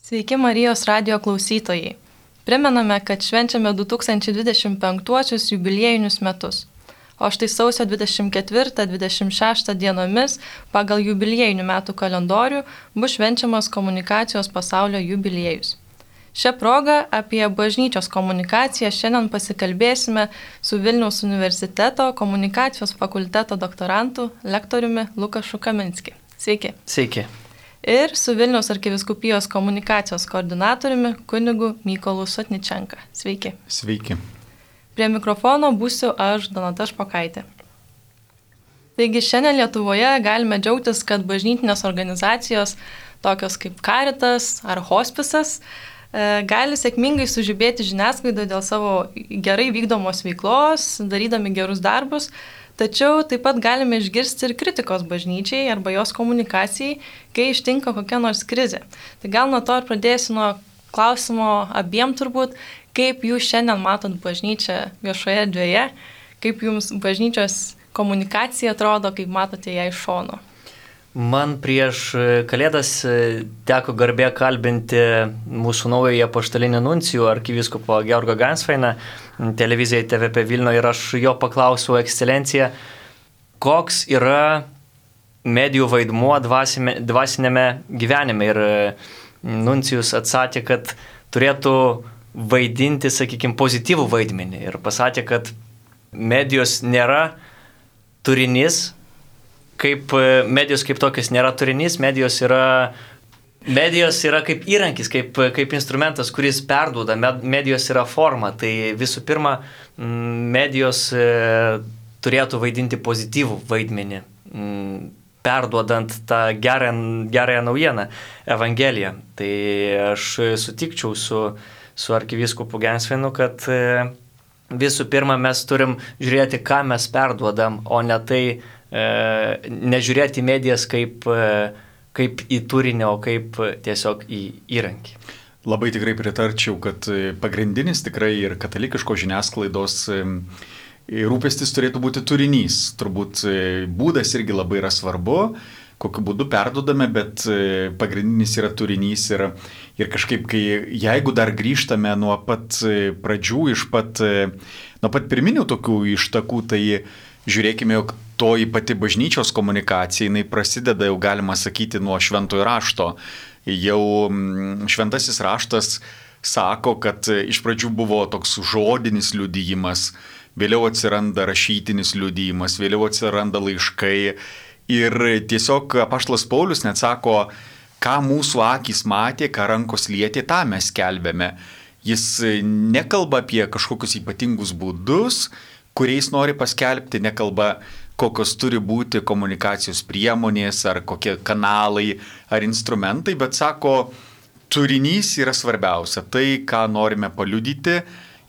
Sveiki Marijos radijo klausytojai. Primename, kad švenčiame 2025 jubiliejinius metus. O štai sausio 24-26 dienomis pagal jubiliejinių metų kalendorių bus švenčiamas komunikacijos pasaulio jubiliejus. Šią progą apie bažnyčios komunikaciją šiandien pasikalbėsime su Vilniaus universiteto komunikacijos fakulteto doktorantu, lektoriumi Lukašu Kaminski. Sveiki. Sveiki. Ir su Vilniaus arkivyskupijos komunikacijos koordinatoriumi kunigu Mykolu Sotničenka. Sveiki. Sveiki. Prie mikrofono būsiu aš, Donata Špokaitė. Taigi šiandien Lietuvoje galime džiaugtis, kad bažnytinės organizacijos, tokios kaip Caritas ar Hospisas, gali sėkmingai sužibėti žiniasklaidoje dėl savo gerai vykdomos veiklos, darydami gerus darbus, tačiau taip pat galime išgirsti ir kritikos bažnyčiai arba jos komunikacijai, kai ištinka kokia nors krizė. Tai gal nuo to ir pradėsiu nuo klausimo abiem turbūt, kaip jūs šiandien matot bažnyčią viešoje erdvėje, kaip jums bažnyčios komunikacija atrodo, kaip matote ją iš šono. Man prieš Kalėdas teko garbė kalbinti mūsų naująjį apaštalinį nuncijų arkivyskupo Georgą Gansveiną televizijai TVP Vilniuje ir aš jo paklausiau, ekscelencija, koks yra medijų vaidmuo dvasinėme gyvenime. Ir nuncijus atsakė, kad turėtų vaidinti, sakykime, pozityvų vaidmenį. Ir pasakė, kad medijos nėra turinys, medijos kaip tokios nėra turinys, medijos yra kaip įrankis, kaip instrumentas, kuris perduoda, medijos yra forma. Tai visų pirma, medijos turėtų vaidinti pozityvų vaidmenį, perduodant tą gerąją naujieną, Evangeliją. Tai aš sutikčiau su arkivyskupu Gansveinu, kad visų pirma mes turim žiūrėti, ką mes perduodam, o ne tai, nežiūrėti medijas kaip į turinį, o kaip tiesiog į įrankį. Labai tikrai pritarčiau, kad pagrindinis tikrai ir katalikiško žiniasklaidos rūpestis turėtų būti turinys. Turbūt būdas irgi labai yra svarbu, kokiu būdu perduodame, bet pagrindinis yra turinys ir kažkaip, jeigu dar grįžtame nuo pat pradžių, nuo pat pirminių tokių ištakų, tai žiūrėkime, jog toji pati bažnyčios komunikacija, jinai prasideda, jau galima sakyti, nuo šventojo rašto. Jau šventasis raštas sako, kad iš pradžių buvo toks žodinis liudijimas, vėliau atsiranda rašytinis liudijimas, vėliau atsiranda laiškai. Ir tiesiog apaštalas Paulius net sako, ką mūsų akys matė, ką rankos lietė, tą mes skelbėme. Jis nekalba apie kažkokius ypatingus būdus, kuriais nori paskelbti, nekalba, kokios turi būti komunikacijos priemonės, ar kokie kanalai, ar instrumentai, bet sako, turinys yra svarbiausia, tai, ką norime paliudyti,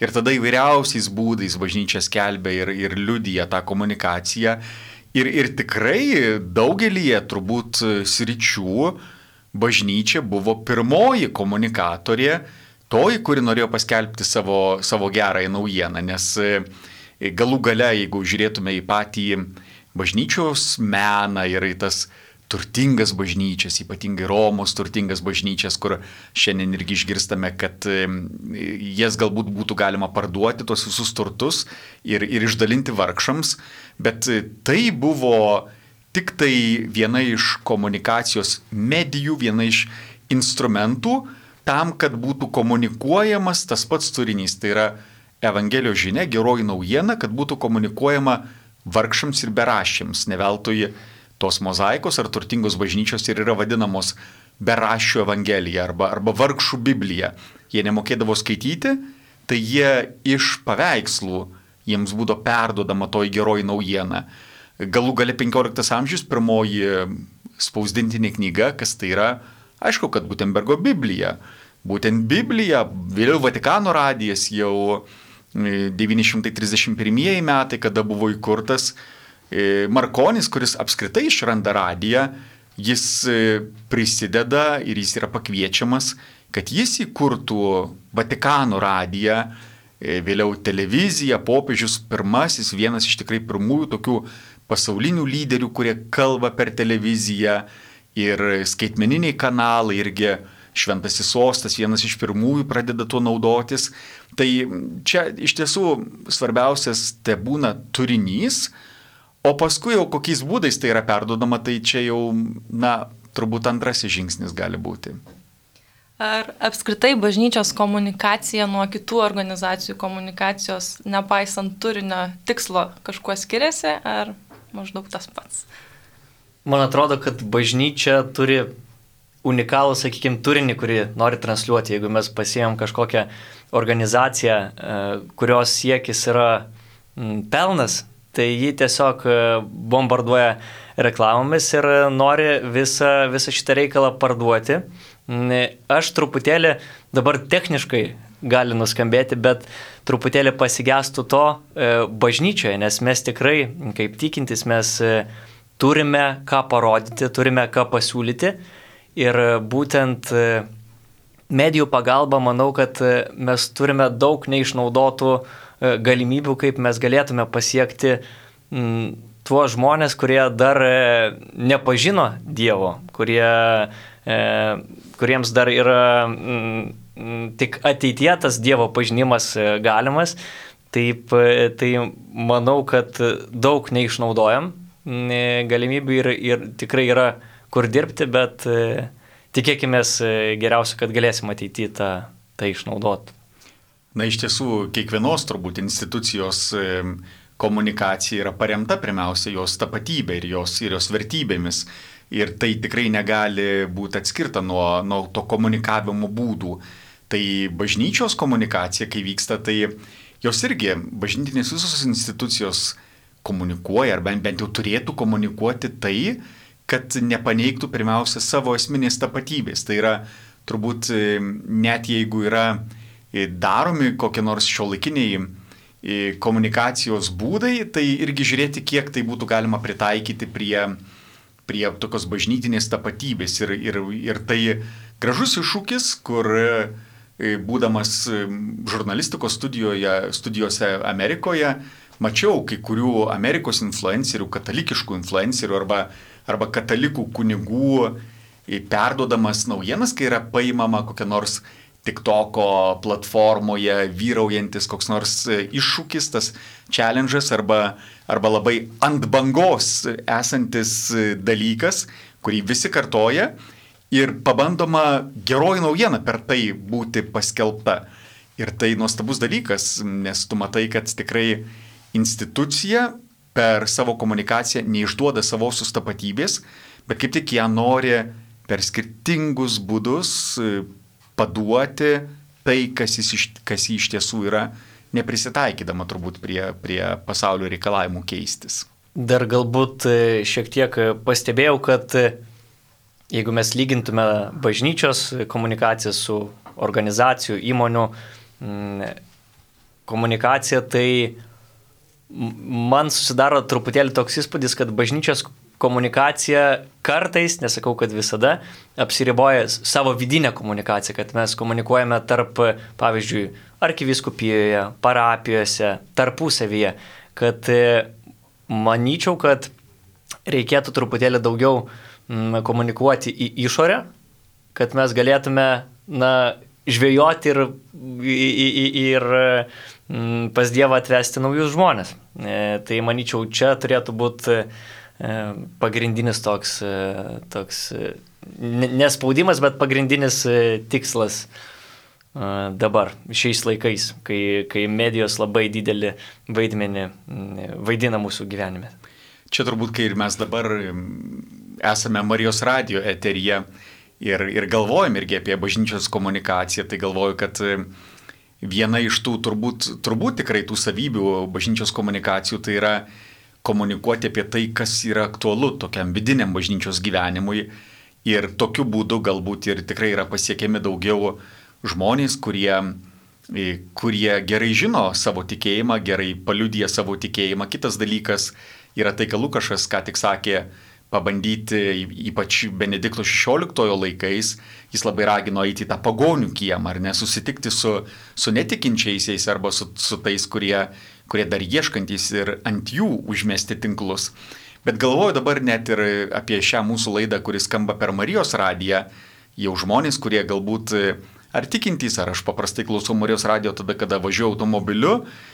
ir tada įvairiausiais būdais bažnyčia skelbia ir liudija tą komunikaciją. Ir tikrai daugelyje turbūt sričių bažnyčia buvo pirmoji komunikatorė, toji, kuri norėjo paskelbti savo gerąją naujieną, nes galų gale, jeigu žiūrėtume į patį bažnyčios meną ir į tas turtingas bažnyčias, ypatingai Romos turtingas bažnyčias, kur šiandien irgi išgirstame, kad jas galbūt būtų galima parduoti, tos visus turtus ir išdalinti vargšams, bet tai buvo tik tai viena iš komunikacijos medijų, viena iš instrumentų tam, kad būtų komunikuojamas tas pats turinys. Tai yra Evangelijos žinia, geroji naujiena, kad būtų komunikuojama vargšams ir beraščiams. Ne veltui tos mozaikos ar turtingos bažnyčios ir yra vadinamos beraščių Evangelija arba vargšų Biblija. Jie nemokėdavo skaityti, tai jie iš paveikslų jiems būdavo perduodama toji geroji naujiena. Galų gale 15 amžius pirmoji spausdintinė knyga, kas tai yra, aišku, kad Gutenbergo Biblija. Būtent Biblija, vėliau Vatikano radijas jau 931 metai, kada buvo įkurtas Markonis, kuris apskritai išranda radiją, jis prisideda ir jis yra pakviečiamas, kad jis įkurtų Vatikano radiją, vėliau televiziją, popiežius pirmasis, vienas iš tikrai pirmųjų tokių pasaulinių lyderių, kurie kalba per televiziją, ir skaitmeniniai kanalai irgi šventasis sostas, vienas iš pirmųjų pradeda tuo naudotis. Tai čia iš tiesų svarbiausias te būna turinys, o paskui jau kokiais būdais tai yra perduodama, tai čia jau, turbūt antrasis žingsnis gali būti. Ar apskritai bažnyčios komunikacija nuo kitų organizacijų komunikacijos, nepaisant turinio tikslo, kažkuo skiriasi, ar maždaug tas pats? Man atrodo, kad bažnyčia turi unikalų, sakykime, turinį, kurį nori transliuoti. Jeigu mes pasiėmėm kažkokią organizaciją, kurios siekis yra pelnas, tai ji tiesiog bombarduoja reklamomis ir nori visą šitą reikalą parduoti. Aš truputėlį, dabar techniškai gali nuskambėti, bet truputėlį pasigestų to bažnyčioje, nes mes tikrai, kaip tikintis, mes turime ką parodyti, turime ką pasiūlyti ir būtent medijų pagalba, manau, kad mes turime daug neišnaudotų galimybių, kaip mes galėtume pasiekti tuos žmonės, kurie dar nepažino Dievo, kuriems dar yra tik ateityje tas Dievo pažinimas galimas. Tai manau, kad daug neišnaudojam galimybių ir tikrai yra kur dirbti, bet tikėkime geriausia, kad galėsim ateityje tą išnaudoti. Iš tiesų, kiekvienos turbūt institucijos komunikacija yra paremta pirmiausia jos tapatybė ir jos vertybėmis. Ir tai tikrai negali būti atskirta nuo to komunikavimo būdų. Tai bažnyčios komunikacija, kai vyksta, tai jos irgi, bažnytinės visos institucijos komunikuoja, ar bent jau turėtų komunikuoti tai, kad nepaneigtų pirmiausia savo esminės tapatybės. Tai yra turbūt net jeigu yra daromi kokie nors šiuolaikiniai komunikacijos būdai, tai irgi žiūrėti, kiek tai būtų galima pritaikyti prie tokios bažnytinės tapatybės. Ir tai gražus iššūkis, kur būdamas žurnalistikos studijose Amerikoje, mačiau kai kurių Amerikos influencerių, katalikiškų influencerių arba katalikų kunigų perduodamas naujienas, kai yra paimama kokia nors TikToko platformoje vyraujantis koks nors iššūkis, tas challenge'as arba labai ant bangos esantis dalykas, kurį visi kartoja ir pabandoma geroji naujiena per tai būti paskelbta. Ir tai nuostabus dalykas, nes tu matai, kad tikrai institucija per savo komunikaciją neišduoda savosios tapatybės, bet kaip tik ją nori per skirtingus būdus paduoti tai, kas jį iš tiesų yra, neprisitaikydama turbūt prie pasaulio reikalavimų keistis. Dar galbūt šiek tiek pastebėjau, kad jeigu mes lygintume bažnyčios komunikaciją su organizacijų, įmonių komunikacija, tai man susidaro truputėlį toks įspūdis, kad bažnyčios komunikacija kartais, nesakau, kad visada, apsiriboja savo vidinę komunikaciją, kad mes komunikuojame tarp, pavyzdžiui, arkivyskupijoje, parapijose, tarpusavyje, kad manyčiau, kad reikėtų truputėlį daugiau komunikuoti į išorę, kad mes galėtume žvejoti ir pas Dievą atvesti naujus žmonės. Tai manyčiau, čia turėtų būti pagrindinis toks nespaudimas, bet pagrindinis tikslas dabar, šiais laikais, kai medijos labai didelį vaidmenį vaidina mūsų gyvenime. Čia turbūt, kai ir mes dabar esame Marijos radijo eteryje ir galvojam irgi apie bažnyčios komunikaciją, tai galvoju, kad viena iš tų turbūt tikrai tų savybių bažnyčios komunikacijų tai yra komunikuoti apie tai, kas yra aktualu tokiam vidiniam bažnyčios gyvenimui ir tokiu būdu galbūt ir tikrai yra pasiekiami daugiau žmonės, kurie gerai žino savo tikėjimą, gerai paliudija savo tikėjimą. Kitas dalykas yra tai, ką Lukašas ką tik sakė, pabandyti, ypač Benedikto XVI laikais, jis labai ragino eiti į tą pagonių kiemą, ar ne, susitikti su netikinčiaisiais arba su tais, kurie dar ieškantys ir ant jų užmesti tinklus. Bet galvoju dabar net ir apie šią mūsų laidą, kuris skamba per Marijos radiją, jau žmonės, kurie galbūt ar tikintys, ar aš paprastai klausau Marijos radijo tada, kada važiuoju automobiliu,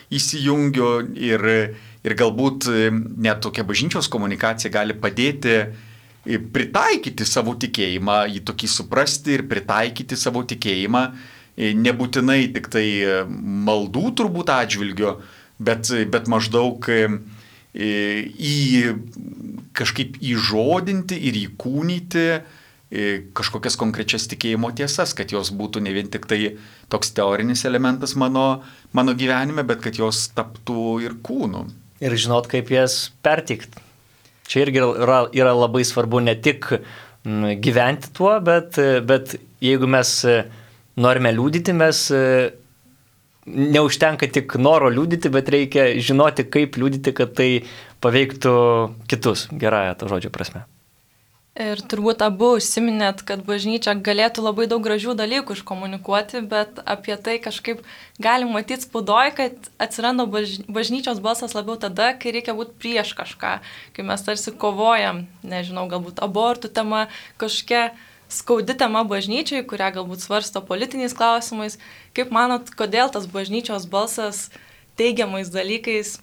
įsijungiu ir galbūt net tokia bažnyčios komunikacija gali padėti pritaikyti savo tikėjimą, jį tokį suprasti ir pritaikyti savo tikėjimą, nebūtinai tik tai maldų turbūt atžvilgiu, bet maždaug kažkaip įžodinti ir įkūnyti kažkokias konkrečias tikėjimo tiesas, kad jos būtų ne vien tik tai toks teorinis elementas mano gyvenime, bet kad jos taptų ir kūnu. Ir žinot, kaip jas pertikti. Čia irgi yra labai svarbu ne tik gyventi tuo, bet jeigu mes norime liudyti, mes neužtenka tik noro liudyti, bet reikia žinoti, kaip liudyti, kad tai paveiktų kitus, gerąją to žodžio prasme. Ir turbūt abu užsiminėt, kad bažnyčia galėtų labai daug gražių dalykų iškomunikuoti, bet apie tai kažkaip galim matyti spaudoje, kad atsiranda bažnyčios balsas labiau tada, kai reikia būti prieš kažką, kai mes tarsi kovojam, nežinau, galbūt abortų tema, kažkokia skaudi tema bažnyčiai, kurią galbūt svarsto politiniais klausimais. Kaip manot, kodėl tas bažnyčios balsas teigiamais dalykais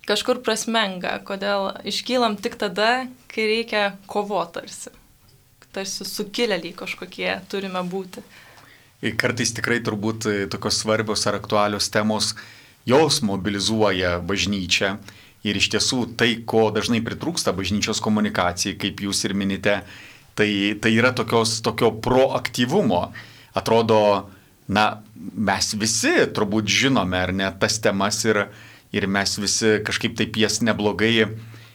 kažkur prasmenga, kodėl iškylam tik tada, kai reikia kovoti tarsi sukilėliai kažkokie turime būti. Kartais tikrai turbūt tokios svarbios ar aktualios temos, jos mobilizuoja bažnyčią ir iš tiesų tai, ko dažnai pritrūksta bažnyčios komunikacijai, kaip jūs ir minite, tai yra tokio proaktyvumo. Atrodo, mes visi turbūt žinome, ar ne, tas temas ir mes visi kažkaip taip jas neblogai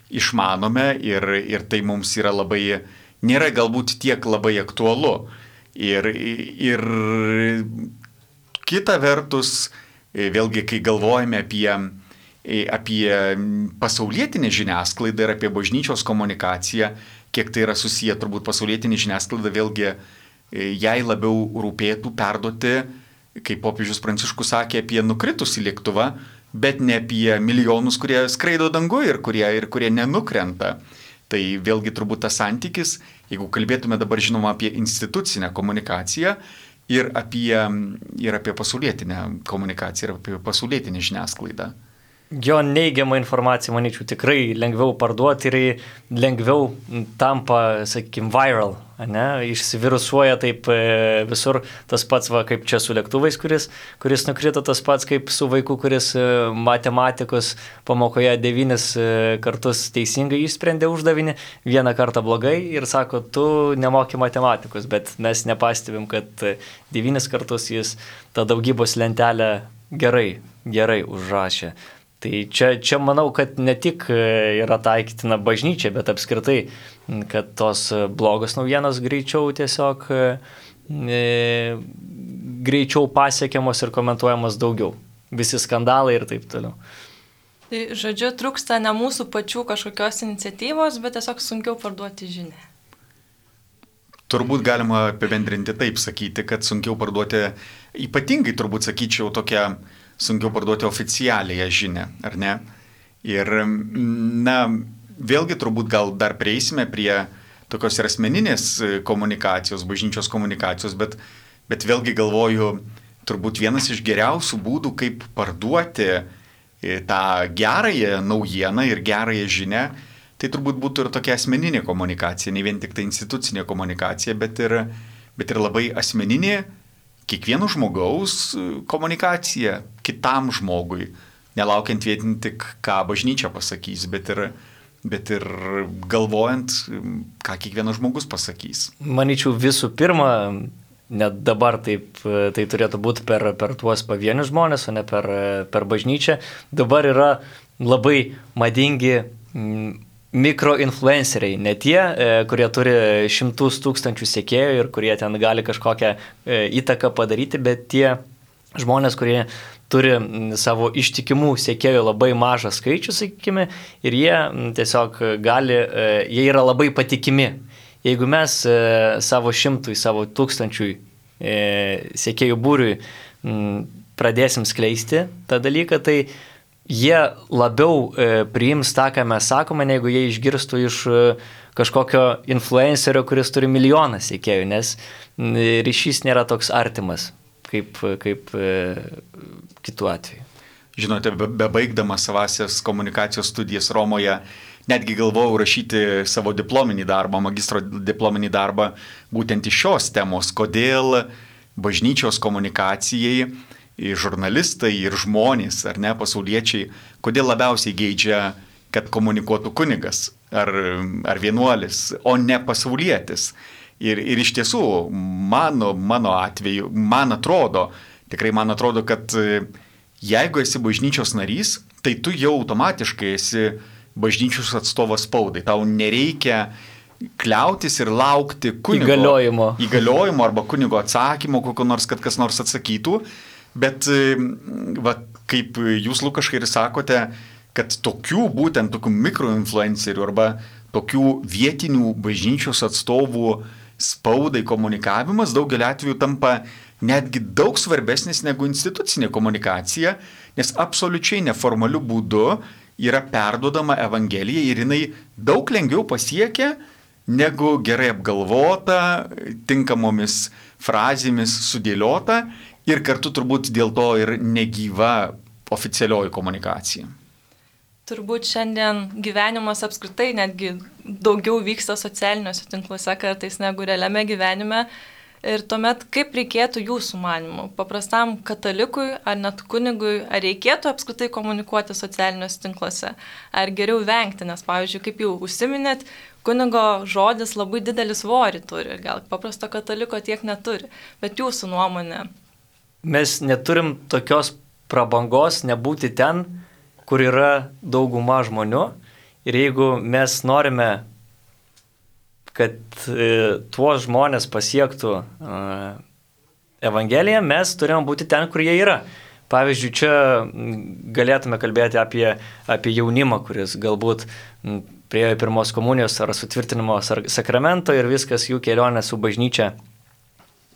išmanome ir tai mums yra nėra galbūt tiek labai aktualu. Ir kita vertus, vėlgi, kai galvojame apie pasaulietinę žiniasklaidą ir apie bažnyčios komunikaciją, kiek tai yra susiję, turbūt pasaulietinė žiniasklaida vėlgi jai labiau rūpėtų perduoti, kaip popiežius Pranciškus sakė, apie nukritusį lėktuvą, bet ne apie milijonus, kurie skraido danguje ir kurie nenukrenta. Tai vėlgi turbūt tas santykis, jeigu kalbėtume dabar žinoma apie institucinę komunikaciją ir apie pasaulietinę komunikaciją ir apie pasaulietinę žiniasklaidą. Jo neigiamą informaciją, manyčiau, tikrai lengviau parduoti ir lengviau tampa, sakykime, viral, ne? Išsivirusuoja taip visur, tas pats, kaip čia su lėktuvais, kuris nukrito, tas pats kaip su vaiku, kuris matematikos pamokoje 9 kartus teisingai išsprendė uždavinį, 1 kartą blogai ir sako, tu nemoki matematikos, bet mes nepastebim, kad 9 kartus jis tą daugybos lentelę gerai užrašė. Tai čia manau, kad ne tik yra taikytina bažnyčia, bet apskritai, kad tos blogos naujienos greičiau tiesiog greičiau pasiekiamos ir komentuojamos daugiau. Visi skandalai ir taip toliau. Tai žodžiu, trūksta ne mūsų pačių kažkokios iniciatyvos, bet tiesiog sunkiau parduoti žinią. Turbūt galima apibendrinti taip sakyti, kad sunkiau parduoti, ypatingai turbūt sakyčiau tokią sunkiau parduoti oficialiąją žinią, ar ne? Ir, vėlgi turbūt gal dar prieisime prie tokios ir asmeninės komunikacijos, bažnyčios komunikacijos, bet vėlgi galvoju, turbūt vienas iš geriausių būdų, kaip parduoti tą gerąją naujieną ir gerąją žinią, tai turbūt būtų ir tokia asmeninė komunikacija, ne vien tik tai institucinė komunikacija, bet ir labai asmeninė, kiekvieno žmogaus komunikacija kitam žmogui, nelaukiant vien tik, ką bažnyčia pasakys, bet ir galvojant, ką kiekvienas žmogus pasakys. Manyčiau, visų pirma, net dabar tai turėtų būti per tuos pavienius žmonės, o ne per bažnyčią. Dabar yra labai madingi mikroinfluenceriai, ne tie, kurie turi 100 000 sekėjų ir kurie ten gali kažkokią įtaką padaryti, bet tie žmonės, kurie turi savo ištikimų sekėjų labai mažą skaičių, sakykime, ir jie tiesiog jie yra labai patikimi. Jeigu mes savo 100, savo 1000 sekėjų būriui pradėsim skleisti tą dalyką, tai jie labiau priims tą, ką mes sakome, negu jie išgirstų iš kažkokio influencerio, kuris turi milijoną sekėjų, nes ryšys nėra toks artimas kaip kitų atveju. Žinote, bebaigdamas savasias komunikacijos studijas Romoje, netgi galvojau rašyti savo diplominį darbą, magistro diplominį darbą, būtent iš šios temos, kodėl bažnyčios komunikacijai žurnalistai ir žmonės, ar ne, pasauliečiai, kodėl labiausiai geidžia, kad komunikuotų kunigas ar vienuolis, o ne pasaulietis. Ir iš tiesų, mano atveju, man atrodo, kad jeigu esi bažnyčios narys, tai tu jau automatiškai esi bažnyčios atstovas spaudai. Tau nereikia kliautis ir laukti kunigo įgaliojimo arba kunigo atsakymo, kokio nors, kad kas nors atsakytų. Bet, kaip jūs, Lukaškai, ir sakote, kad tokių mikroinfluencerių arba tokių vietinių bažnyčios atstovų spaudai komunikavimas daugelį atvejų tampa netgi daug svarbesnis negu institucinė komunikacija, nes absoliučiai neformaliu būdu yra perduodama Evangelija ir jinai daug lengviau pasiekia negu gerai apgalvota, tinkamomis frazėmis sudėliota ir kartu turbūt dėl to ir negyva oficialioji komunikacija. Turbūt šiandien gyvenimas apskritai netgi daugiau vyksta socialiniuose tinkluose kartais negu realiame gyvenime. Ir tuomet kaip reikėtų jūsų manimų? Paprastam katalikui ar net kunigui, ar reikėtų apskritai komunikuoti socialiniuose tinkluose? Ar geriau vengti? Nes, pavyzdžiui, kaip jau užsiminėt, kunigo žodis labai didelį svorį turi. Gal paprasto kataliko tiek neturi. Bet jūsų nuomonė? Mes neturim tokios prabangos nebūti ten, kur yra dauguma žmonių. Ir jeigu mes norime, kad tuos žmonės pasiektų Evangeliją, mes turime būti ten, kur jie yra. Pavyzdžiui, čia galėtume kalbėti apie jaunimą, kuris galbūt priėjo pirmos komunijos ar sutvirtinimo sakramento ir viskas jų kelionė su bažnyčia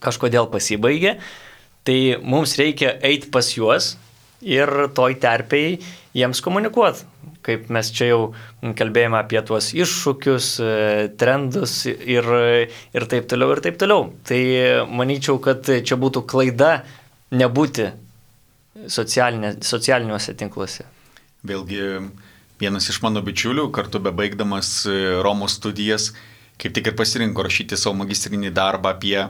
kažkodėl pasibaigė. Tai mums reikia eiti pas juos ir toj terpėjai jiems komunikuoti. Kaip mes čia jau kalbėjome apie tuos iššūkius, trendus ir taip toliau ir taip toliau. Tai manyčiau, kad čia būtų klaida nebūti socialiniuose tinkluose. Vėlgi, vienas iš mano bičiulių, kartu bebaigdamas Romos studijas, kaip tik ir pasirinko rašyti savo magistrinį darbą apie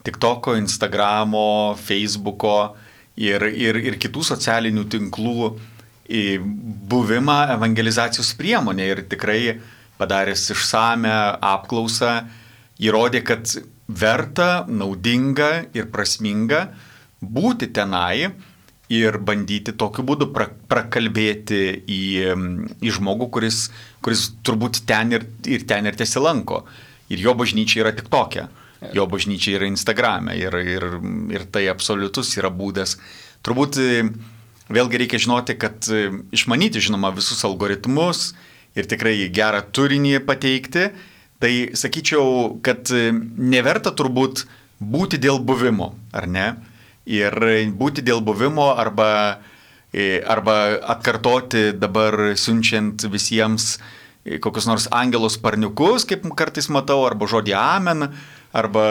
TikToko, Instagramo, Facebooko ir kitų socialinių tinklų buvimą evangelizacijos priemonė. Ir tikrai padaręs išsame apklausą, įrodė, kad verta, naudinga ir prasminga būti tenai ir bandyti tokiu būdu prakalbėti į žmogų, kuris turbūt ten ir tesilanko. Ir jo bažnyčia yra TikTok'e. Jo bažnyčia yra Instagram'e ir tai absoliutus yra būdas. Turbūt vėlgi reikia žinoti, kad išmanyti, žinoma, visus algoritmus ir tikrai gerą turinį pateikti, tai sakyčiau, kad neverta turbūt būti dėl buvimo, ar ne? Ir būti dėl buvimo arba atkartoti dabar siunčiant visiems kokius nors angelos sparniukus, kaip kartais matau, arba žodį amen, arba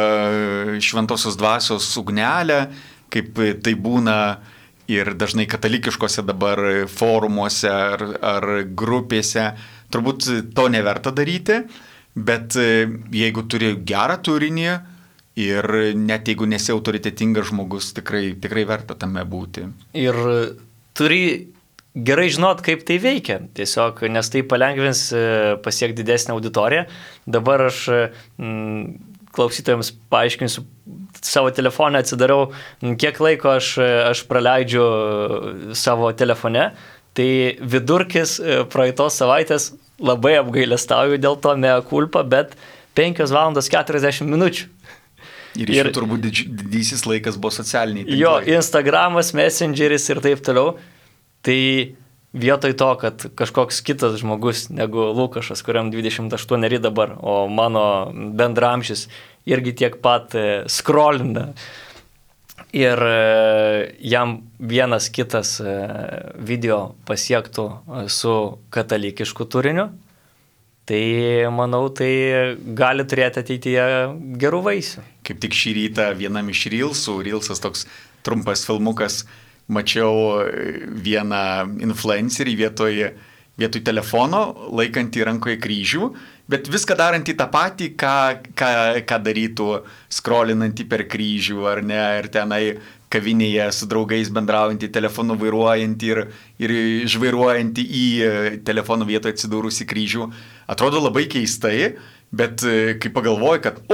šventosios dvasios ugnelę, kaip tai būna ir dažnai katalikiškose dabar forumuose ar grupėse. Turbūt to neverta daryti, bet jeigu turi gerą turinį ir net jeigu nesi autoritetingas žmogus, tikrai verta tame būti. Ir turi gerai žinot, kaip tai veikia, tiesiog, nes tai palengvins pasiekti didesnę auditoriją. Dabar aš klausytojams paaiškinsiu, savo telefoną atsidarau, kiek laiko aš praleidžiu savo telefone, tai vidurkis praeitos savaitės labai apgailestauju dėl to mea culpa, bet 5 valandos 40 minučių. Ir iš jų turbūt didysis laikas buvo socialiniai tinklai. Jo, Instagramas, Messengeris ir taip toliau. Tai vietoj to, kad kažkoks kitas žmogus negu Lukašas, kuriam 28 dabar, o mano bendramžis irgi tiek pat scrollina ir jam vienas kitas video pasiektų su katalikišku turiniu, tai manau, tai gali turėti ateityje gerų vaisių. Kaip tik šį rytą vienam iš Reelsas toks trumpas filmukas, mačiau vieną influencerį vietoj telefono, laikantį rankoje kryžių, bet viską darantį tą patį, ką darytų skrolinantį per kryžių, ar ne, ir tenai kavinėje su draugais bendraujantį, telefonu vairuojantį ir žvairuojantį į telefono vietoje atsidūrusi kryžių. Atrodo labai keistai, bet kai pagalvoju, kad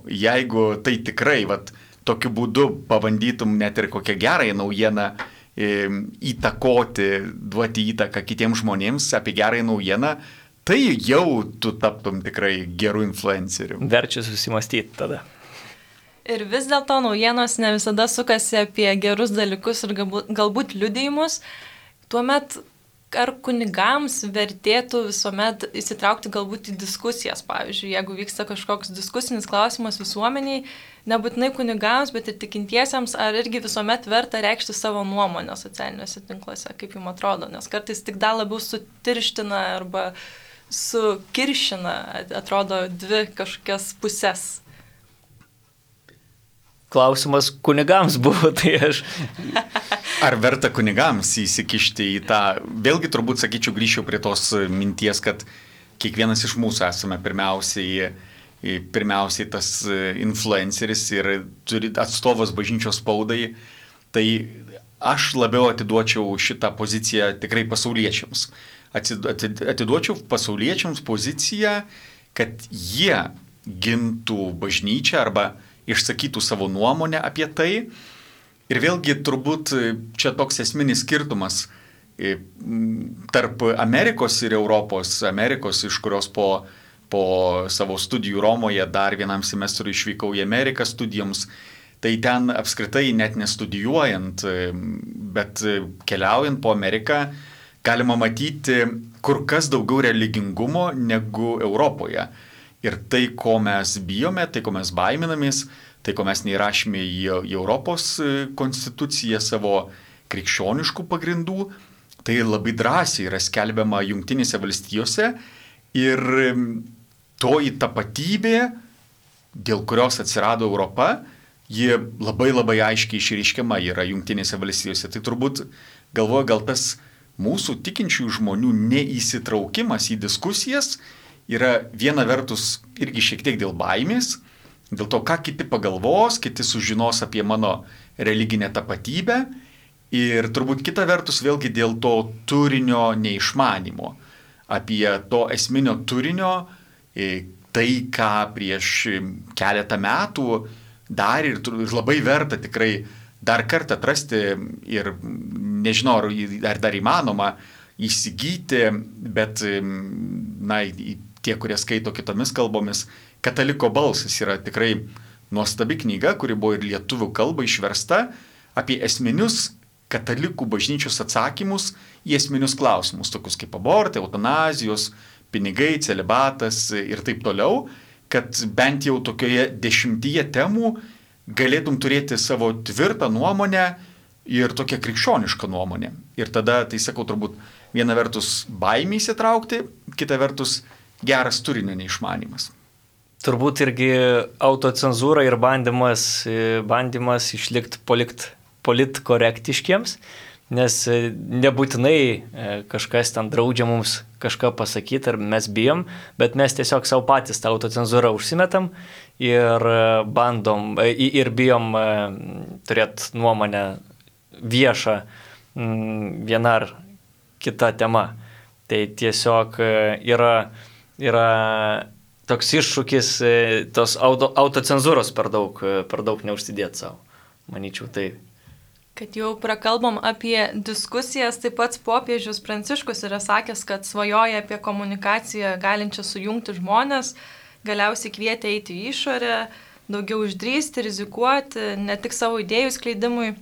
jeigu tai tikrai tokiu būdu pabandytum net ir kokią gerąją naujieną įtakoti, duoti įtaką kitiems žmonėms apie gerąją naujieną, tai jau tu taptum tikrai gerų influencerių. Verčia susimastyti tada. Ir vis dėlto naujienos ne visada sukasi apie gerus dalykus ir galbūt liudijimus. Tuomet ar kunigams vertėtų visuomet įsitraukti galbūt į diskusijas, pavyzdžiui, jeigu vyksta kažkoks diskusinis klausimas visuomeniai, nebūtinai kunigams, bet ir tikintiesiems, ar irgi visuomet verta reikšti savo nuomonę socialiniuose tinkluose, kaip jums atrodo, nes kartais tik dar labiau sutirština arba sukiršina, atrodo, dvi kažkokias pusės. Klausimas kunigams buvo, tai aš... Ar verta kunigams įsikišti į tą, vėlgi turbūt sakyčiau, grįžčiau prie tos minties, kad kiekvienas iš mūsų esame pirmiausiai tas influenceris ir turi atstovas bažnyčios spaudai, tai aš labiau atiduočiau šitą poziciją tikrai pasauliečiams. Atiduočiau pasauliečiams poziciją, kad jie gintų bažnyčią arba išsakytų savo nuomonę apie tai. Ir vėlgi turbūt čia toks esminis skirtumas tarp Amerikos ir Europos. Amerikos, iš kurios po savo studijų Romoje dar vienam semestrui išvykau į Ameriką studijoms, tai ten apskritai net nestudijuojant, bet keliaujant po Ameriką, galima matyti kur kas daugiau religingumo negu Europoje. Ir tai, ko mes bijome, tai, ko mes baiminamės, tai, ko mes neįrašėme į Europos konstituciją savo krikščioniškų pagrindų, tai labai drąsiai yra skelbiama Jungtinėse valstijose ir toji tapatybė, dėl kurios atsirado Europa, ji labai labai aiškiai išreiškiama yra Jungtinėse valstijose. Tai turbūt galvoju, gal tas mūsų tikinčių žmonių neįsitraukimas į diskusijas yra viena vertus irgi šiek tiek dėl baimės, dėl to, ką kiti pagalvos, kiti sužinos apie mano religinę tapatybę ir turbūt kita vertus vėlgi dėl to turinio neišmanimo, apie to esminio turinio, tai, ką prieš keletą metų dar ir labai verta tikrai dar kartą atrasti ir nežinau, ar dar įmanoma įsigyti, bet tie, kurie skaito kitomis kalbomis, Kataliko balsas yra tikrai nuostabi knyga, kuri buvo ir lietuvių kalba išversta apie esminius katalikų bažnyčios atsakymus į esminius klausimus, tokius kaip abortai, eutanazijos, pinigai, celibatas ir taip toliau, kad bent jau tokioje 10 temų galėtum turėti savo tvirtą nuomonę ir tokią krikščionišką nuomonę. Ir tada, tai sakau, turbūt viena vertus baimė įsitraukti, kita vertus geras turinio neišmanimas. Turbūt irgi autocenzūra ir bandymas išlikti politkorektiškiems, nes nebūtinai kažkas ten draudžia mums kažką pasakyti ar mes bijom, bet mes tiesiog savo patys tą autocenzūrą užsimetam ir bandom ir bijom turėti nuomonę viešą viena ar kita tema. Tai tiesiog yra toks iššūkis tos autocenzūros per daug neužsidėti savo, manyčiau taip. Kad jau prakalbam apie diskusijas, tai pats popiežius Pranciškus yra sakęs, kad svajoja apie komunikaciją galinčią sujungti žmonės, galiausiai kvietė eiti į išorę, daugiau išdrįsti, rizikuoti, ne tik savo idėjų skleidimui,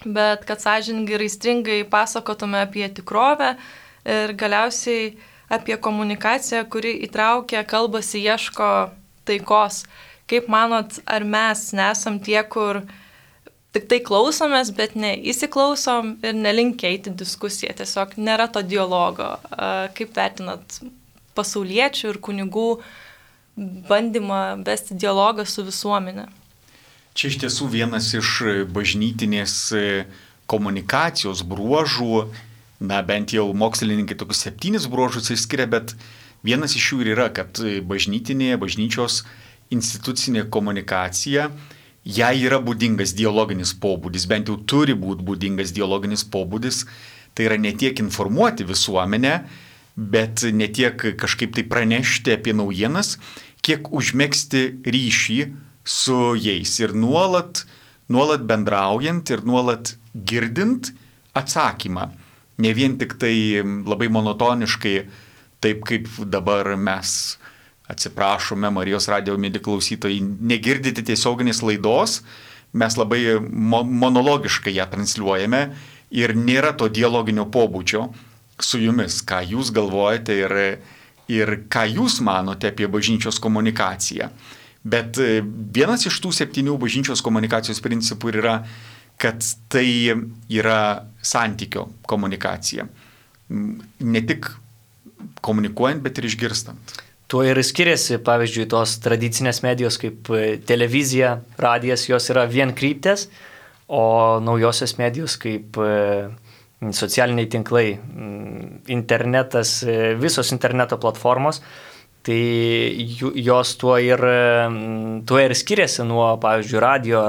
bet kad sąžiningai ir aistringai pasakotume apie tikrovę ir galiausiai apie komunikaciją, kuri įtraukia, kalbasi, ieško taikos. Kaip manot, ar mes nesam tie, kur tik tai klausomės, bet neįsiklausom ir nelinkę eiti diskusiją, tiesiog nėra to dialogo. Kaip vertinat pasauliečių ir kunigų bandymą vesti dialogą su visuomenė? Čia iš tiesų vienas iš bažnytinės komunikacijos bruožų, bent jau mokslininkai tokius 7 bruožus išskiria, bet vienas iš jų ir yra, kad bažnyčios institucinė komunikacija, jai yra būdingas dialoginis pobūdis, bent jau turi būti būdingas dialoginis pobūdis, tai yra ne tiek informuoti visuomenę, bet ne tiek kažkaip tai pranešti apie naujienas, kiek užmegzti ryšį su jais ir nuolat bendraujant ir nuolat girdint atsakymą. Ne vien tik tai labai monotoniškai, taip kaip dabar mes atsiprašome Marijos radijo mėly klausytojai, negirdite tiesioginės laidos, mes labai monologiškai ją transliuojame ir nėra to dialoginio pobūdžio su jumis, ką jūs galvojate ir ką jūs manote apie bažnyčios komunikaciją. Bet vienas iš tų 7 bažnyčios komunikacijos principų yra, kad tai yra santykio komunikacija. Ne tik komunikuojant, bet ir išgirstant. Tuo ir skiriasi, pavyzdžiui, tos tradicinės medijos kaip televizija, radijas, jos yra vienkryptės, o naujosios medijos kaip socialiniai tinklai, internetas, visos interneto platformos, tai jos tuo ir skiriasi nuo, pavyzdžiui, radio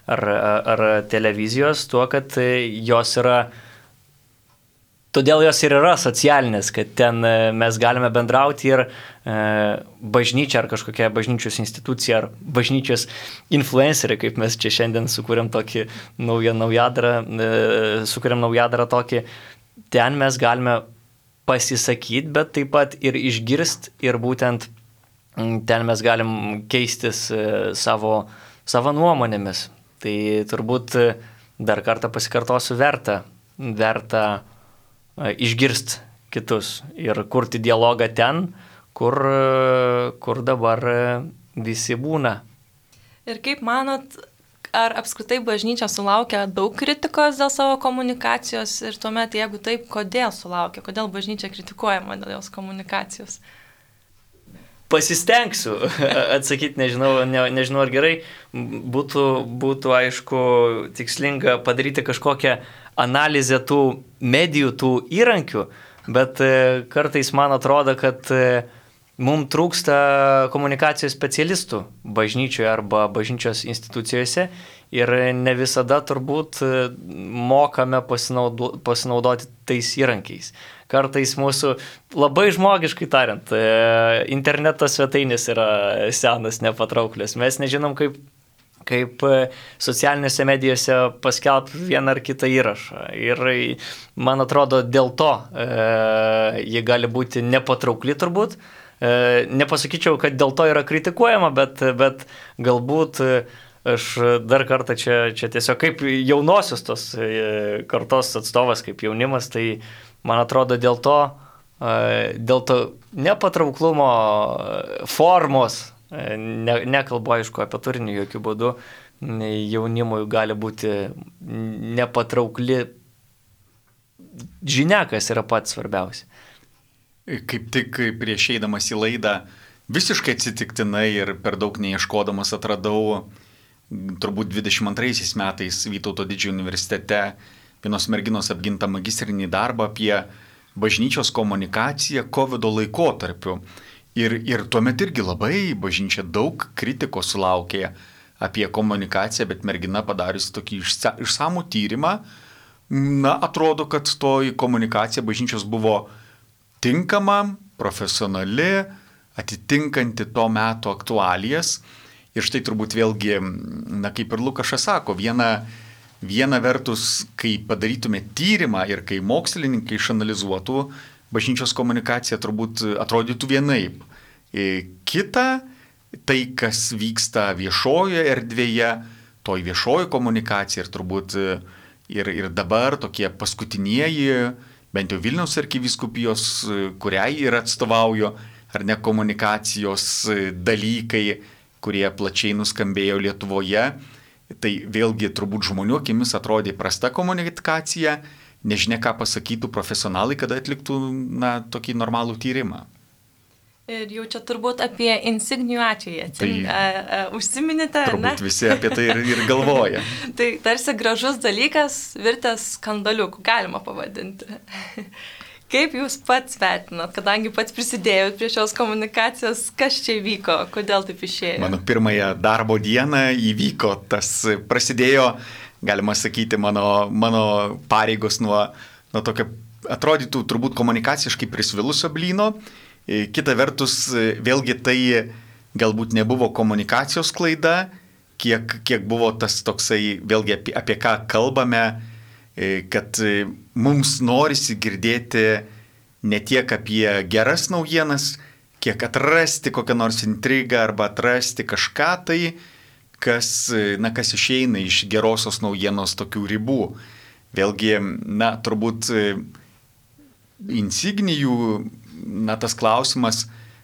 ar televizijos, tuo, kad jos yra, todėl jos ir yra socialinės, kad ten mes galime bendrauti ir bažnyčia ar kažkokia bažnyčios institucija ar bažnyčios influenceriai, kaip mes čia šiandien sukūrėm tokį naujadarą tokį, ten mes galime pasisakyti, bet taip pat ir išgirst ir būtent ten mes galim keistis savo nuomonėmis. Tai turbūt dar kartą pasikartosiu, verta išgirst kitus ir kurti dialogą ten, kur dabar visi būna. Ir kaip manot, ar apskritai bažnyčia sulaukia daug kritikos dėl savo komunikacijos ir tuomet, jeigu taip, kodėl sulaukia, kodėl bažnyčia kritikuojama dėl jos komunikacijos? Pasistengsiu atsakyti, nežinau ar gerai, būtų aišku tikslinga padaryti kažkokią analizę tų medijų, tų įrankių, bet kartais man atrodo, kad mums trūksta komunikacijos specialistų bažnyčioje arba bažnyčios institucijose ir ne visada turbūt mokame pasinaudoti tais įrankiais. Kartais mūsų, labai žmogiškai tariant, interneto svetainės yra senas, nepatrauklios. Mes nežinom, kaip socialinėse medijose paskelbti vieną ar kitą įrašą. Ir man atrodo, dėl to jie gali būti nepatraukli turbūt. Nepasakyčiau, kad dėl to yra kritikuojama, bet galbūt aš dar kartą čia tiesiog kaip jaunosios tos kartos atstovas, kaip jaunimas, tai man atrodo dėl to nepatrauklumo formos, nekalbu aišku apie turinį jokių būdų, jaunimui gali būti nepatraukli žinia, kas yra pats svarbiausia. Kaip tik prieš eidamas į laidą visiškai atsitiktinai ir per daug neieškodamas atradau turbūt 22 metais Vytauto didžiojo universitete vienos merginos apgintą magistrinį darbą apie bažnyčios komunikaciją COVID laikotarpiu. Ir tuomet irgi labai bažnyčia daug kritikos sulaukė apie komunikaciją, bet mergina padariusi tokį išsamų tyrimą, atrodo, kad toji komunikacija bažnyčios buvo tinkama, profesionali, atitinkanti to meto aktualijas. Ir štai turbūt vėlgi, kaip ir Lukašas sako, viena vertus, kai padarytume tyrimą ir kai mokslininkai išanalizuotų, bažnyčios komunikacija turbūt atrodytų vienaip. Kita, tai kas vyksta viešojoje erdvėje, toj viešoji komunikacija ir turbūt ir dabar tokie paskutinieji, bent jau Vilniaus arkivyskupijos, kuriai ir atstovauju, ar ne komunikacijos dalykai, kurie plačiai nuskambėjo Lietuvoje, Tai vėlgi turbūt žmonių akimis atrodė prasta komunikacija, nežinia ką pasakytų profesionalai, kada atliktų tokį normalų tyrimą. Ir jau čia turbūt apie insignijų atvejį užsiminėte, ar ne? Turbūt visi apie tai ir galvoja. Tai tarsi gražus dalykas, virtęs skandaliuku, galima pavadinti. Kaip jūs pats vertinat, kadangi pats prisidėjot prie šios komunikacijos, kas čia įvyko, kodėl taip išėjo? Mano pirmąją darbo dieną įvyko prasidėjo, galima sakyti, mano pareigos nuo tokio, atrodytų turbūt komunikaciškai prisvilusio blyno. Kita vertus, vėlgi tai galbūt nebuvo komunikacijos klaida, kiek buvo tas toksai, vėlgi apie ką kalbame, kad mums norisi girdėti ne tiek apie geras naujienas, kiek atrasti kokią nors intrigą arba atrasti kažką tai, kas išeina iš gerosios naujienos tokių ribų. Vėlgi, turbūt insignijų, tas klausimas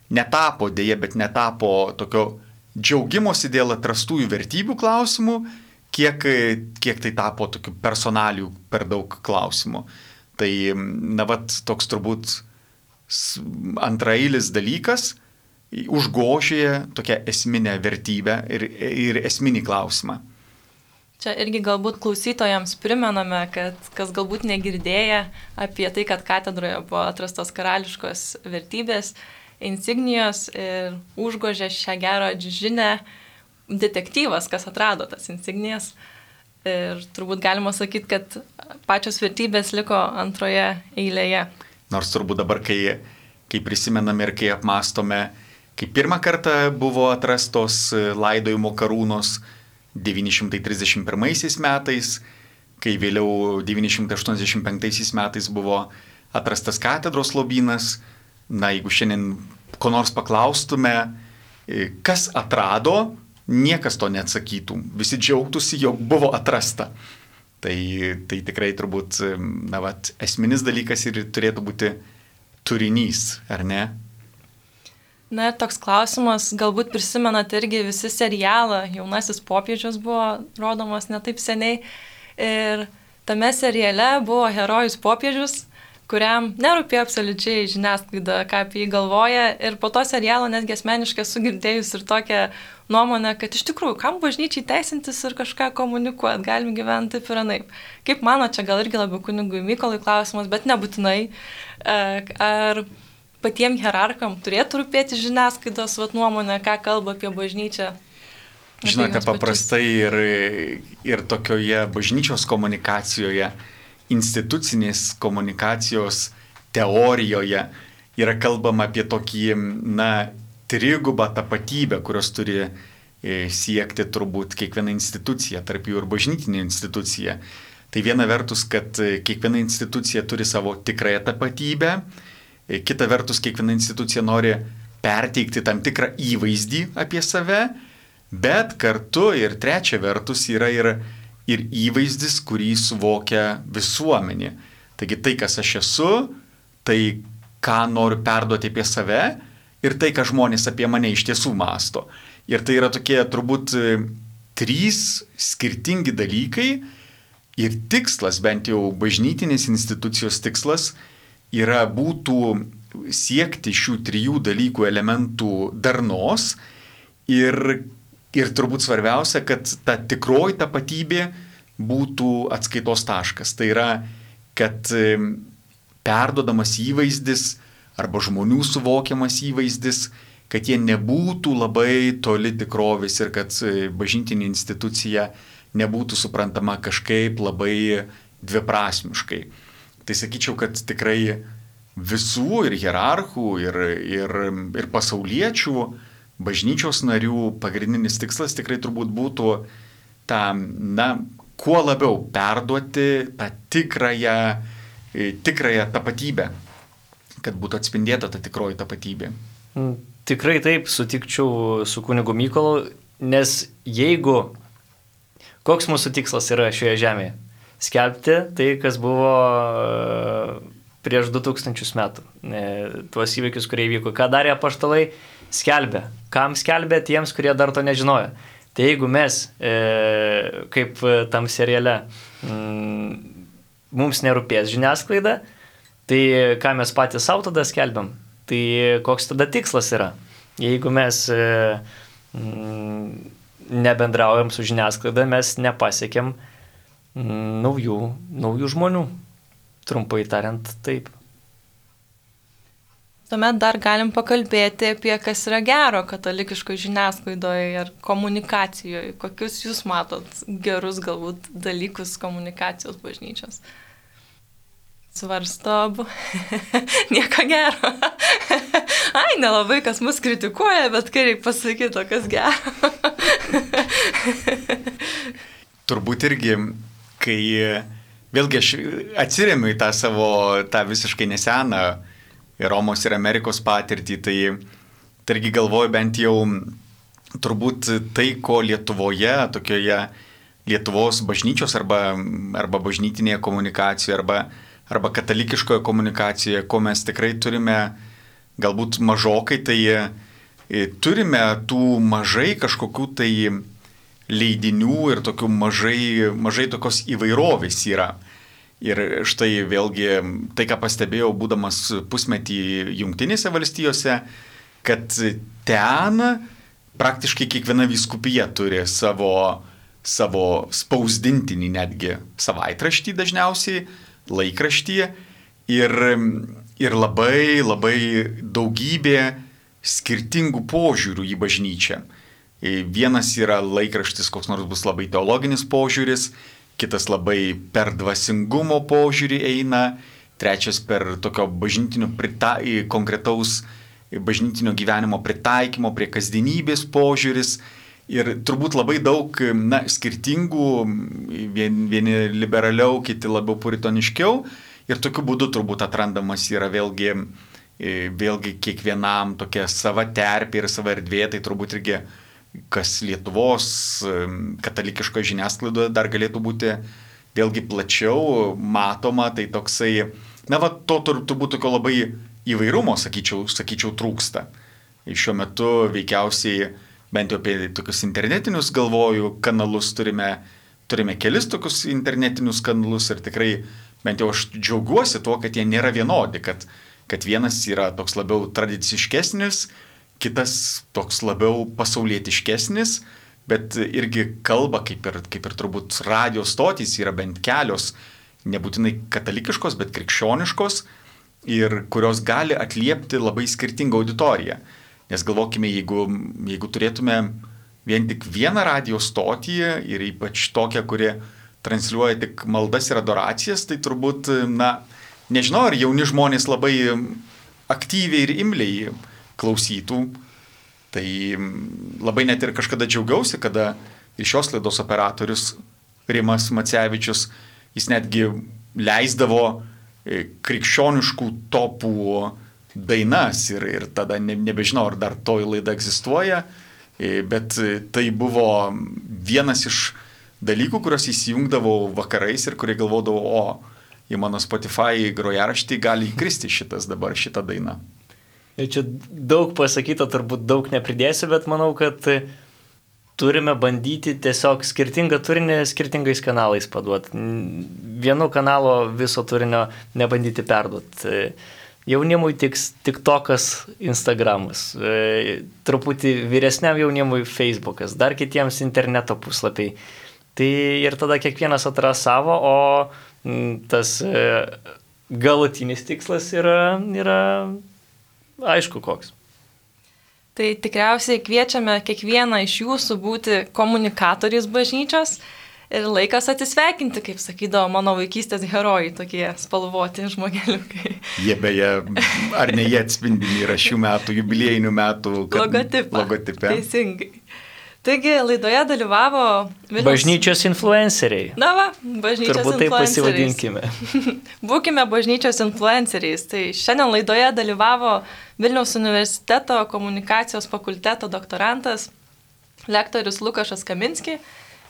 netapo, dėja, bet netapo tokio džiaugimosi dėl atrastųjų vertybių klausimų, kiek tai tapo tokių personalių per daug klausimų. Tai, toks turbūt antraeilis dalykas užgožė tokią esminę vertybę ir esminį klausimą. Čia irgi galbūt klausytojams primename, kad kas galbūt negirdėję apie tai, kad katedroje buvo atrastos karališkos vertybės, insignijos ir užgožė šią gerą žinią detektyvas, kas atrado tas insignijas. Ir turbūt galima sakyti, kad pačios vertybės liko antroje eilėje. Nors turbūt dabar, kai prisimename ir kai apmastome, kai pirmą kartą buvo atrastos laidojimo karūnos 931 metais, kai vėliau 985 metais buvo atrastas katedros lobynas. Jeigu šiandien ko nors paklaustume, kas atrado, niekas to neatsakytų. Visi džiaugtųsi, jog buvo atrasta. Tai tikrai turbūt esminis dalykas ir turėtų būti turinys, ar ne? Na ir toks klausimas, galbūt prisimenat irgi visi serialą, Jaunasis popiežius buvo rodomas netaip seniai. Ir tame seriale buvo herojus popiežius, kuriam nerūpėjo absoliučiai žiniasklaida, ką apie jį galvoja. Ir po to serialo netgi asmeniškai sugirdėjus ir tokią nuomonę, kad iš tikrųjų, kam bažnyčiai teisintis ir kažką komunikuoti, galim gyventi taip ir anaip. Kaip mano, čia gal irgi labiau kunigui Mykolui klausimas, bet nebūtinai. Ar patiems hierarcham turėtų rūpėti žiniasklaidos nuomonė, ką kalba apie bažnyčią? Žinote, paprastai ir tokioje bažnyčios komunikacijoje, institucinės komunikacijos teorijoje yra kalbama apie tokį, trigubą tapatybę, kurios turi siekti turbūt kiekviena institucija, tarp jų ir bažnytinė institucija. Tai viena vertus, kad kiekviena institucija turi savo tikrąją tapatybę, kita vertus, kiekviena institucija nori perteikti tam tikrą įvaizdį apie save, bet kartu ir trečia vertus yra ir įvaizdis, kurį suvokia visuomenė. Taigi tai, kas aš esu, tai, ką noriu perduoti apie save ir tai, ką žmonės apie mane iš tiesų mąsto. Ir tai yra tokie turbūt 3 skirtingi dalykai ir tikslas, bent jau bažnytinės institucijos tikslas, būtų siekti šių 3 dalykų elementų darnos ir turbūt svarbiausia, kad ta tikroji tapatybė būtų atskaitos taškas. Tai yra, kad perduodamas įvaizdis arba žmonių suvokiamas įvaizdis, kad jie nebūtų labai toli tikrovės ir kad bažnytinė institucija nebūtų suprantama kažkaip labai dviprasmiškai. Tai sakyčiau, kad tikrai visų ir hierarchų, ir pasauliečių, bažnyčios narių pagrindinis tikslas tikrai turbūt būtų kuo labiau perduoti tą tikrąją tapatybę, kad būtų atspindėta ta tikroji tapatybė. Tikrai taip, sutikčiau su kunigu Mykolu, nes koks mūsų tikslas yra šioje žemėje? Skelbti tai, kas buvo prieš 2000 metų. Tuos įvykius, kurie įvyko. Ką darė apaštalai? Skelbė. Kam skelbė? Tiems, kurie dar to nežinojo. Tai jeigu mes kaip tam seriale. Mums nerūpės žiniasklaida, tai ką mes patys savo tada skelbiam, tai koks tada tikslas yra. Jeigu mes nebendraujam su žiniasklaida, mes nepasiekėm naujų žmonių. Trumpai tariant, taip. Tuomet dar galim pakalbėti apie kas yra gero katalikiškoje žiniasklaidoje ir komunikacijoje. Kokius jūs matot gerus galbūt dalykus komunikacijos bažnyčios? Svarsto abu. Nieko gero. Ai, nelabai kas mus kritikuoja, bet kai reikia pasakyti, o kas gero. Turbūt irgi, kai vėlgi aš atsiremiu į tą visiškai neseną Romos ir Amerikos patirtį, tai irgi galvoju bent jau turbūt tai, ko Lietuvoje, tokioje Lietuvos bažnyčios arba bažnytinėje komunikacijoje arba katalikiškoje komunikacijoje, ko mes tikrai turime galbūt mažokai, tai turime tų mažai kažkokių tai leidinių ir tokių mažai tokios įvairovės yra. Ir štai vėlgi tai, ką pastebėjau, būdamas pusmetį Jungtinėse valstijose, kad ten praktiškai kiekviena vyskupija turi savo spausdintinį netgi savaitraštį dažniausiai, laikraštį ir labai daugybė skirtingų požiūrių į bažnyčią. Vienas yra laikraštis, koks nors bus labai teologinis požiūris, kitas labai per dvasingumo požiūrį eina, trečias per tokio konkretaus bažnytinio gyvenimo pritaikymo prie kasdienybės požiūris ir turbūt labai daug skirtingų, vieni liberaliau, kiti labiau puritoniškiau ir tokiu būdu turbūt atrandamas yra vėlgi kiekvienam tokia sava terpė ir sava erdvė, tai turbūt irgi kas Lietuvos katalikiškoje žiniasklaidoje dar galėtų būti vėlgi plačiau matoma, tai toksai, to turbūt tokio labai įvairumo, sakyčiau, trūksta. Šiuo metu veikiausiai, bent jau apie tokius internetinius galvoju kanalus, turime kelis tokius internetinius kanalus ir tikrai, bent jau aš džiaugiuosi tuo, kad jie nėra vienodi, kad vienas yra toks labiau tradiciškesnis, kitas toks labiau pasaulietiškesnis, bet irgi kalba, kaip ir turbūt radio stotys yra bent kelios, nebūtinai katalikiškos, bet krikščioniškos ir kurios gali atliepti labai skirtingą auditoriją. Nes galvokime, jeigu turėtume vien tik vieną radio stotį ir ypač tokią, kuri transliuoja tik maldas ir adoracijas, tai turbūt, nežinau, ar jauni žmonės labai aktyviai ir imliai klausytų. Tai labai net ir kažkada džiaugiausi, kada ir šios laidos operatorius Rimas Macevičius, jis netgi leisdavo krikščioniškų topų dainas ir tada nebežinau, ar dar toji laida egzistuoja, bet tai buvo vienas iš dalykų, kuriuos įsijungdavau vakarais ir kurie galvodavau, į mano Spotify grojaraštį gali įkristi šitą dainą. Čia daug pasakyta, turbūt daug nepridėsiu, bet manau, kad turime bandyti tiesiog skirtingą turinį skirtingais kanalais paduoti. Vienu kanalo viso turinio nebandyti perduoti. Jaunimui TikTokas, Instagramas, truputį vyresniam jaunimui Facebookas, dar kitiems interneto puslapiai. Tai ir tada kiekvienas atras savo, o tas galutinis tikslas yra aišku koks. Tai tikriausiai kviečiame kiekvieną iš jūsų būti komunikatoriais bažnyčios ir laikas atsisveikinti, kaip sakydavo mano vaikystės herojai, tokie spalvoti žmogeliukai. Jie beje, ar ne jie atspindimi yra šių metų, jubiliejinių metų logotipe. Teisingai. Taigi laidoje dalyvavo bažnyčios influenceriai. Bažnyčios turbūt taip pasivadinkime. Būkime bažnyčios influenceriais. Tai šiandien laidoje dalyvavo Vilniaus universiteto komunikacijos fakulteto doktorantas, lektorius Lukašas Kaminski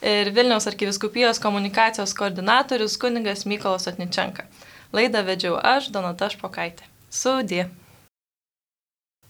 ir Vilniaus arkivyskupijos komunikacijos koordinatorius kunigas Mykolas Otničenka. Laidą vedžiau aš, Donata Špokaitė. Sudie.